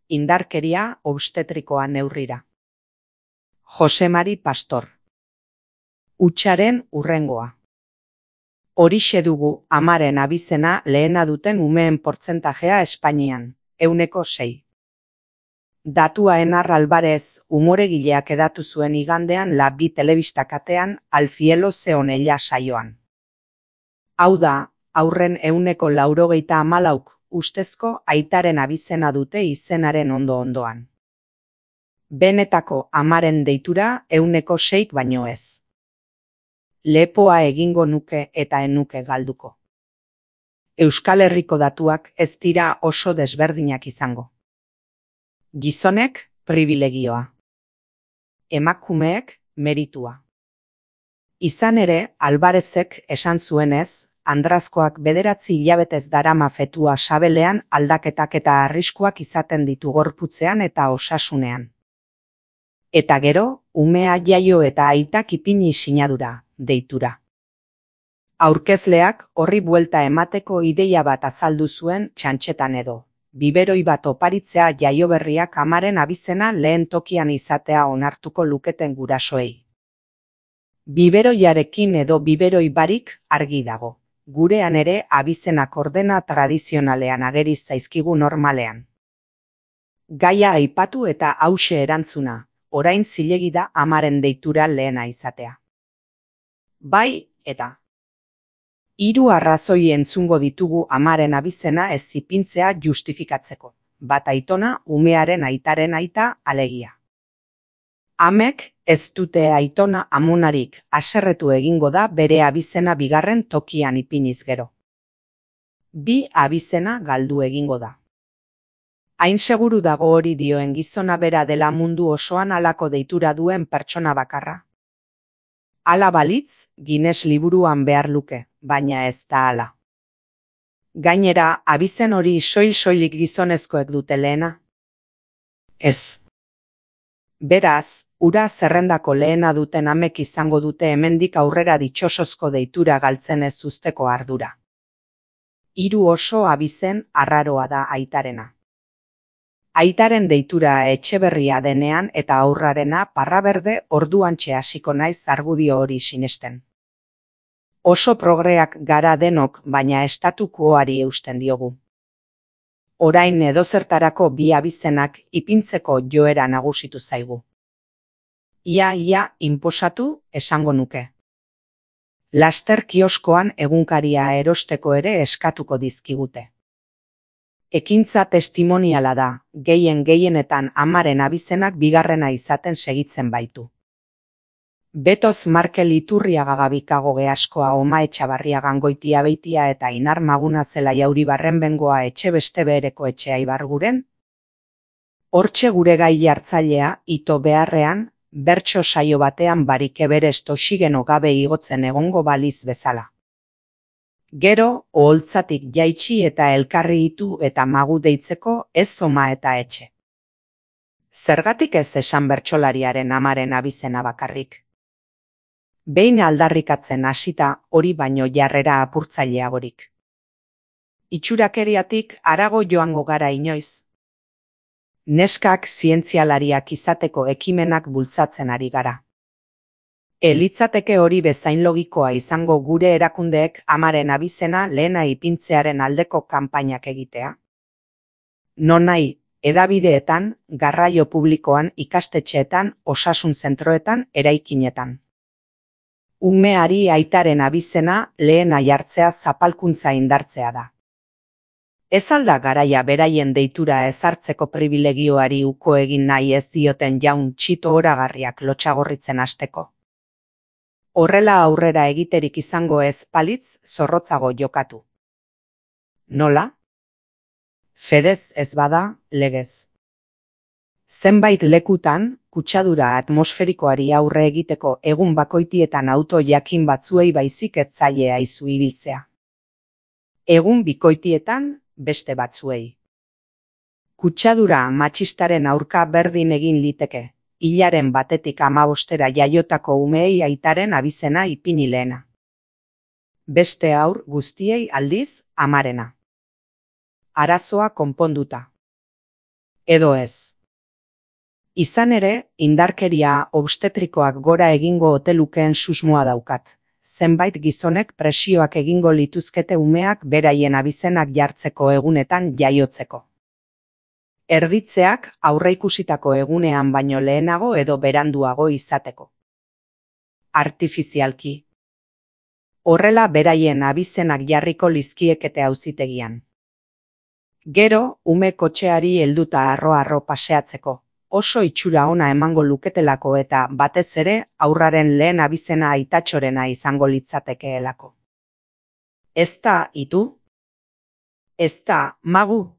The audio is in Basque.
indarkeria obstetrikoa neurrira. Jose Mari Pastor. Hutsaren hurrengoa. Horixe dugu amaren abizena lehena duten umeen portzentajea Espainian, 6%. Datua Enar Alvarez umoregileak edatu zuen igandean La Bi telebista katean Al cielo se onella saioan. Hau da, haurren 94%, ustezko aitaren abizena dute izenaren ondo-ondoan. Benetako amaren deitura 6% baino ez. Lepoa egingo nuke eta enuke galduko. Euskal Herriko datuak ez dira oso desberdinak izango. Gizonek pribilegioa. Emakumeek meritua. Izan ere, Alvarezek esan zuenez, andrazkoak 9 hilabetez darama fetua sabelean aldaketak eta arriskuak izaten ditu gorputzean eta osasunean. Eta gero, umea jaio eta aitak ipini sinadura, deitura. Aurkezleak horri buelta emateko ideia bat azaldu zuen txantxetan edo. Biberoi bat oparitzea jaioberriak amaren abizena lehen tokian izatea onartuko luketen gurasoei. Biberoiarekin edo biberoi barik argi dago. Gurean ere abizenak ordena tradizionalean ageri zaizkigu normalean. Gaia aipatu eta hauxe erantzuna, orain zilegi da amaren deitura lehena izatea. Bai, eta. 3 arrazoi entzungo ditugu amaren abizena ez ipintzea justifikatzeko. Bat aitona, umearen aitaren aita, alegia. Amek ez dute aitona amonarik, haserretu egingo da bere abizena bigarren tokian ipiniz gero. 2 abizena galdu egingo da. Hain seguru dago hori dioen gizona bera dela mundu osoan halako deitura duen pertsona bakarra. Hala balitz, Guinness liburuan behar luke, baina ez da hala. Gainera, abizen hori soil-soilik gizonezkoek dute lehena? Ez. Beraz, ura zerrendako lehena duten amek izango dute hemendik aurrera ditxosozko deitura galtzen ez uzteko ardura. 3 oso abizen arraroa da aitarena. Aitaren deitura Etxeberria denean eta aurrarena Parraberde orduantxe hasiko naiz argudio hori sinesten. Oso progreak gara denok, baina estatukoari eusten diogu. Orain edozertarako 2 abizenak ipintzeko joera nagusitu zaigu. Ia inposatu esango nuke. Laster kioskoan egunkaria erosteko ere eskatuko dizkigute. Ekintza testimoniala da, gehienetan amaren abizenak bigarrena izaten segitzen baitu. Betoz Markel Iturriaga Gabikago Geaskoa Oma Etxabarria Gangoitia Beitia eta Inar Maguna Zela Jauri Barrenbengoa etxe beste behereko etxea Ibarguren? Hortxe gure gai jartzailea, ito beharrean, bertso saio batean barik Everest oxigeno gabe igotzen egongo baliz bezala. Gero, oholtzatik jaitsi eta elkarri itu eta magu deitzeko ez oma eta etxe. Zergatik ez esan bertsolariaren amaren abizena bakarrik? Behin aldarrikatzen hasita hori baino jarrera apurtzaileagorik. Itxurakeriatik harago joango gara inoiz. Neskak zientzialariak izateko ekimenak bultzatzen ari gara. Litzateke hori bezain logikoa izango gure erakundeek amaren abizena lehena ipintzearen aldeko kanpainak egitea. Nonahi, hedabideetan, garraio publikoan, ikastetxeetan, osasun zentroetan, eraikinetan. Umeari aitaren abizena lehena jartzea zapalkuntza indartzea da. Ez alda garaia beraien deitura ezartzeko pribilegioari uko egin nahi ez dioten jaun txito oragarriak lotxagorritzen hasteko. Horrela aurrera egiterik izango ez balitz zorrotzago jokatu. Nola? Fedez ez bada, legez. Zenbait lekutan, kutsadura atmosferikoari aurre egiteko egun bakoitietan auto jakin batzuei baizik ez zaie aizu ibiltzea. Egun bikoitietan, beste batzuei. Kutsadura matxistaren aurka berdin egin liteke. Hilaren batetik 15 jaiotako umeei aitaren abizena ipini lehena. Beste haur guztiei aldiz amarena. Arazoa konponduta. edo ez. Izan ere, indarkeria obstetrikoak gora egingo ote lukeen susmoa daukat. Zenbait gizonek presioak egingo lituzkete umeak beraien abizenak jartzeko egunetan jaiotzeko. Erditzeak aurreikusitako egunean baino lehenago edo beranduago izateko. Artifizialki. Horrela beraien abizenak jarriko lizkiekete auzitegian. Gero, ume kotxeari helduta harro-harro paseatzeko. Oso itxura ona emango luketelako eta batez ere haurraren lehen abizena aitatxorena izango litzatekeelako. Ez da, itu? Ez da, magu?